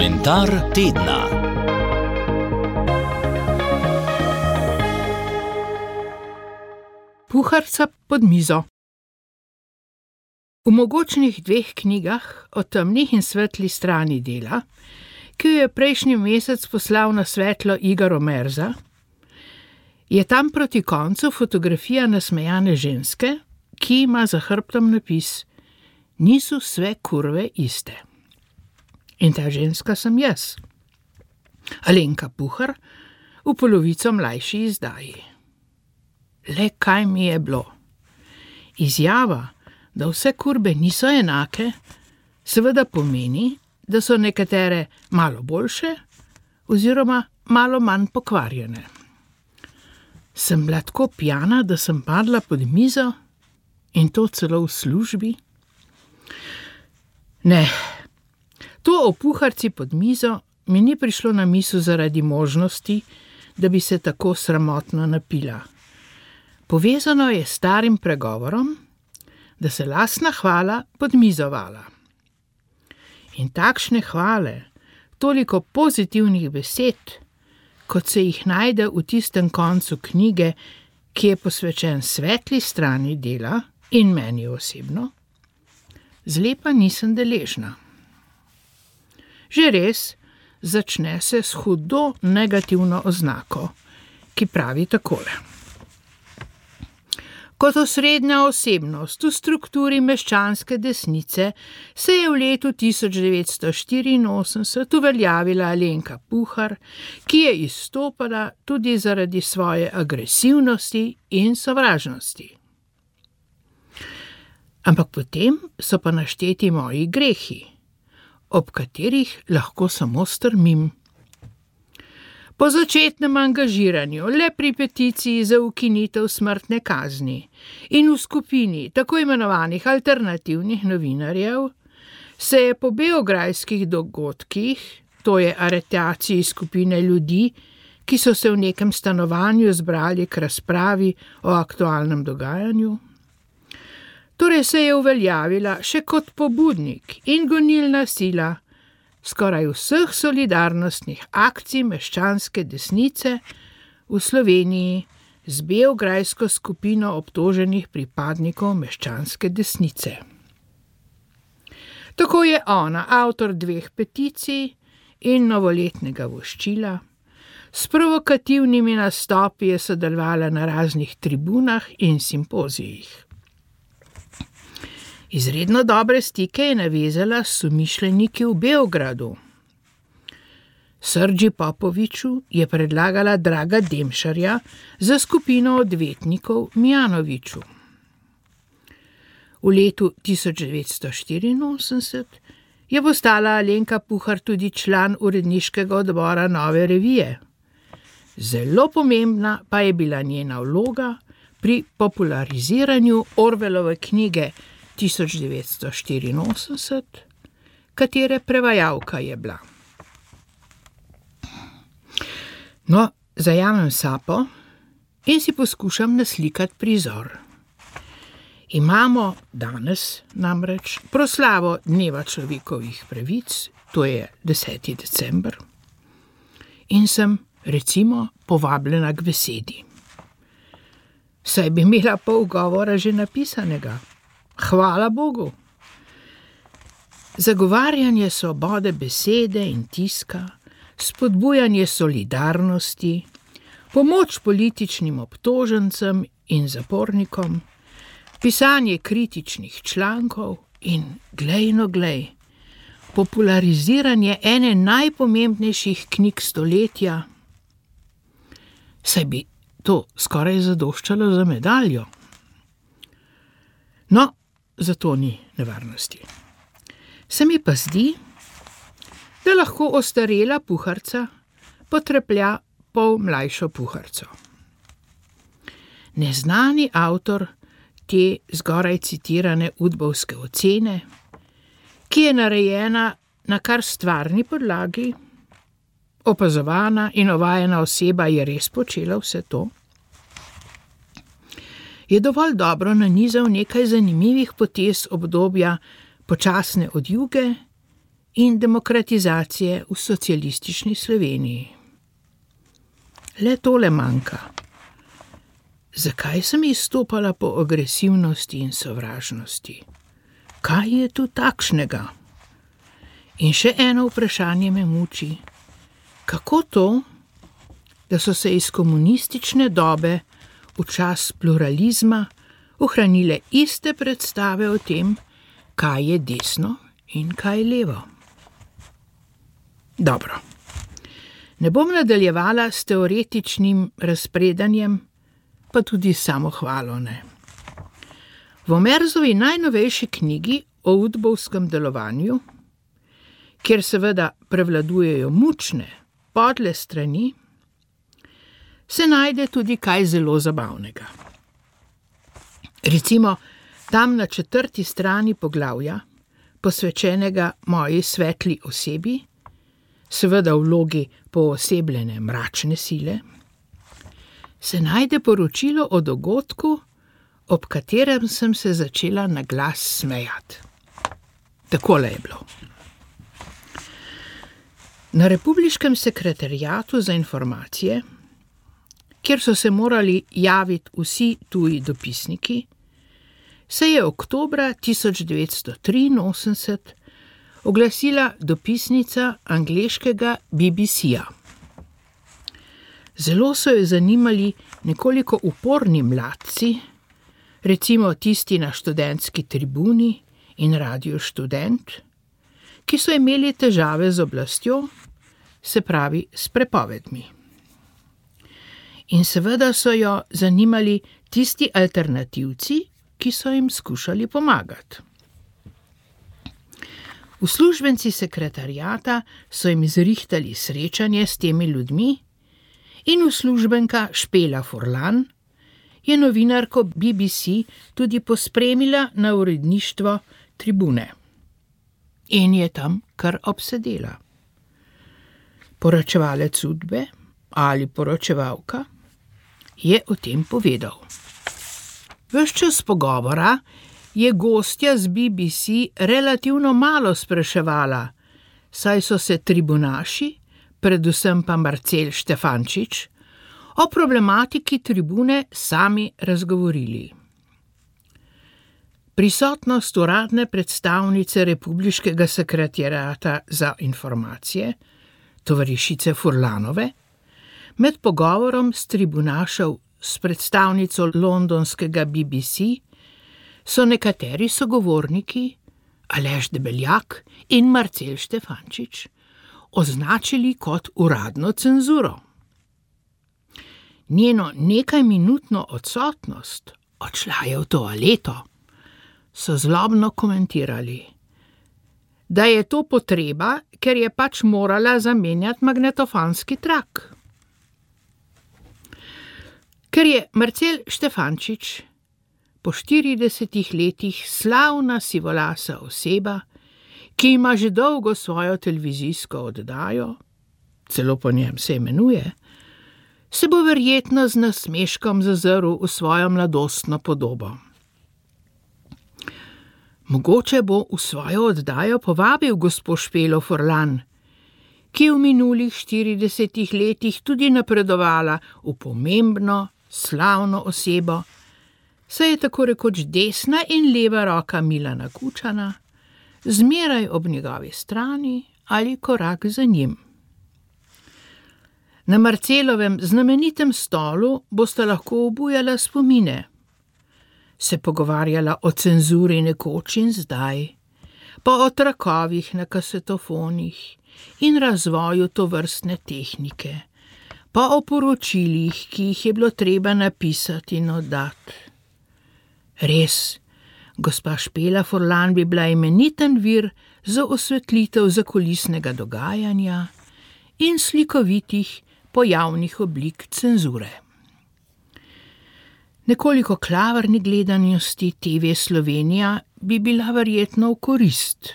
Komentar tedna. Puharca pod mizo. V mogočnih 2 knjigah o temni in svetli strani dela, ki jo je prejšnji mesec poslal na svetlo Igor Omerza, je tam proti koncu fotografija nasmejane ženske, ki ima za hrbtom napis: Niso sve kurve iste. In ta ženska sem jaz, Alenka Puhar, v polovico mlajši izdaji. Le kaj mi je bilo? Izjava, da vse kurbe niso enake, seveda pomeni, da so nekatere malo boljše oziroma malo manj pokvarjene. Sem bila tako pijana, da sem padla pod mizo, in to celo v službi? Ne, to o puharci pod mizo mi ni prišlo na misel zaradi možnosti, da bi se tako sramotno napila. Povezano je s starim pregovorom, da se lastna hvala pod mizo vala. In takšne hvale, toliko pozitivnih besed, kot se jih najde v tistem koncu knjige, ki je posvečen svetli strani dela in meni osebno, zlepa nisem deležna. Že res, začne se s hudo negativno oznako, ki pravi takole. Kot osrednja osebnost v strukturi meščanske desnice se je v letu 1984 uveljavila Alenka Puhar, ki je izstopala tudi zaradi svoje agresivnosti in sovražnosti. Ampak potem so pa našteti moji grehi, ob katerih lahko samo strmim. Po začetnem angažiranju le pri peticiji za ukinitev smrtne kazni in v skupini tako imenovanih alternativnih novinarjev se je po beograjskih dogodkih, to je aretaciji skupine ljudi, ki so se v nekem stanovanju zbrali k razpravi o aktualnem dogajanju, torej se je uveljavila še kot pobudnik in gonilna sila skoraj vseh solidarnostnih akcij meščanske desnice v Sloveniji z beograjsko skupino obtoženih pripadnikov meščanske desnice. Tako je ona avtor 2 peticij in novoletnega voščila, s provokativnimi nastopi je sodelovala na raznih tribunah in simpozijih. Izredno dobre stike je navezala s somišljeniki v Beogradu. Srđi Popoviču je predlagala Draga Demšarja za skupino odvetnikov Mijanoviću. V letu 1984 je postala Alenka Puhar tudi član uredniškega odbora Nove revije. Zelo pomembna pa je bila njena vloga pri populariziranju Orwellove knjige 1984, katere prevajalka je bila. No, zajamem sapo in si poskušam naslikati prizor. Imamo danes namreč proslavo Dneva človekovih pravic, to je 10. december, in sem, recimo, povabljena k besedi. Saj bi imela pol govora že napisanega. Hvala Bogu. Zagovarjanje svobode besede in tiska, spodbujanje solidarnosti, pomoč političnim obtožencem in zapornikom, pisanje kritičnih člankov in, glej, populariziranje ene najpomembnejših knjig stoletja. Saj bi to skoraj zadoščalo za medaljo. No, zato ni nevarnosti. Se mi pa zdi, da lahko ostarela puharca potreplja pol mlajšo puharco. Neznani avtor te zgoraj citirane udbovske ocene, ki je narejena na kar stvarni podlagi, opazovana in ovajena oseba je res počela vse to, je dovolj dobro nanizal nekaj zanimivih potez obdobja počasne odjuge in demokratizacije v socialistični Sloveniji. Le tole manjka. Zakaj sem izstopala po agresivnosti in sovražnosti? Kaj je tu takšnega? In še eno vprašanje me muči. Kako to, da so se iz komunistične dobe v čas pluralizma ohranile iste predstave o tem, kaj je desno in kaj levo? Dobro. Ne bom nadaljevala s teoretičnim razpredanjem, pa tudi samohvalo ne. V Omerzovi najnovejši knjigi o udbovskem delovanju, kjer seveda prevladujejo mučne, podle strani, se najde tudi kaj zelo zabavnega. Recimo, tam na 4. strani poglavja, posvečenega moji svetli osebi, seveda v vlogi poosebljene mračne sile, se najde poročilo o dogodku, ob katerem sem se začela na glas smejati. Takole je bilo. Na Republiškem sekretariatu za informacije, kjer so se morali javiti vsi tuji dopisniki, se je oktobra 1983 oglasila dopisnica angleškega BBC-ja. Zelo so jo zanimali nekoliko uporni mladci, recimo tisti na študentski tribuni in Radio Študent, ki so imeli težave z oblastjo, se pravi s prepovedmi. In seveda so jo zanimali tisti alternativci, ki so jim skušali pomagati. Uslužbenci sekretariata so jim zrihtali srečanje s temi ljudmi in uslužbenka Špela Furlan je novinarko BBC tudi pospremila na uredništvo Tribune. In je tam kar obsedela. Poročevalec Udbe ali poročevalka je o tem povedal. Ves čas pogovora je gostja z BBC relativno malo spraševala, saj so se tribunaši, predvsem pa Marcel Štefančič, o problematiki Tribune sami razgovorili. Prisotnost uradne predstavnice Republiškega sekretariata za informacije, tovarišice Furlanove, med pogovorom s tribunašev s predstavnico londonskega BBC so nekateri sogovorniki, Aleš Debeljak in Marcel Štefančič, označili kot uradno cenzuro. Njeno nekajminutno odsotnost, odšla je v toaleto, so zlobno komentirali, da je to potreba, ker je pač morala zamenjati magnetofonski trak. Ker je Marcel Štefančič po 40 letih slavna sivolasa oseba, ki ima že dolgo svojo televizijsko oddajo, celo po njem se imenuje, se bo verjetno z nasmeškom zazrl v svojo mladostno podobo. Mogoče bo v svojo oddajo povabil gospo Špelo Furlan, ki je v minulih 40 letih tudi napredovala v pomembno, slavno osebo, saj je tako rekoč desna in leva roka Milana Kučana, zmeraj ob njegovi strani ali korak za njim. Na Marcelovem znamenitem stolu boste lahko obujala spomine, se pogovarjala o cenzuri nekoč in zdaj, pa o trakovih na kasetofonih in razvoju tovrstne tehnike, pa o poročilih, ki jih je bilo treba napisati in oddati. Res, gospa Špela Furlan bi bila imeniten vir za osvetlitev zakulisnega dogajanja in slikovitih pojavnih oblik cenzure. Nekoliko klavrni gledanosti TV Slovenija bi bila verjetno v korist.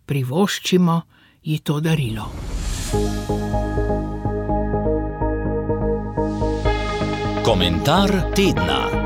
Privoščimo ji to darilo. Komentar tedna.